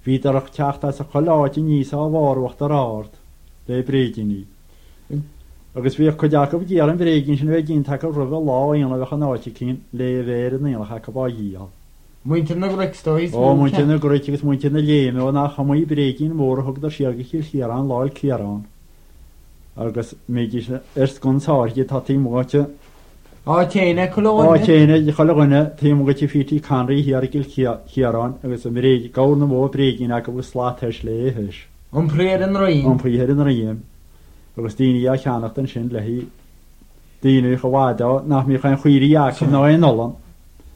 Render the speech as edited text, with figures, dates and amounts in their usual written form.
Bhíodar ag teacht as chuile áit aníos ó bharr Uachtar Ard le bréidíní. Agus bhíodh cuid acu ag iarraidh an bhréigín sin a bheith déanta acu roimhe lá aonaigh a bheadh in áit eicínt le a bheith ar an aonach acu á dhíol. Muintir na gCnoic is dóigh is Ó, mó muintir na gCnoic agus muintir na Léime, ó nach iomaí bréigín mór a thugadar siar go Cill Chiaráin Lá 'le Ciarán. Agus mbídís ar sconsa áirithe atá taobh amuigh de. Áit fhéin ag chuile dhuine. Áit fhéin ag chuile dhuine taobh amuigh de P.T. Conroy thiar i gCill Chiaráin agus an bhréig, gabhar na mbó bréigín acu agus slat thais léi thais. Iompaithe ar a ndroim. Iompaithe ar a ndroim. Agus daoine á cheannacht ansin le haghaidh daoine chomh fada nach mbíodh aon chaoirigh acu ná aon olann.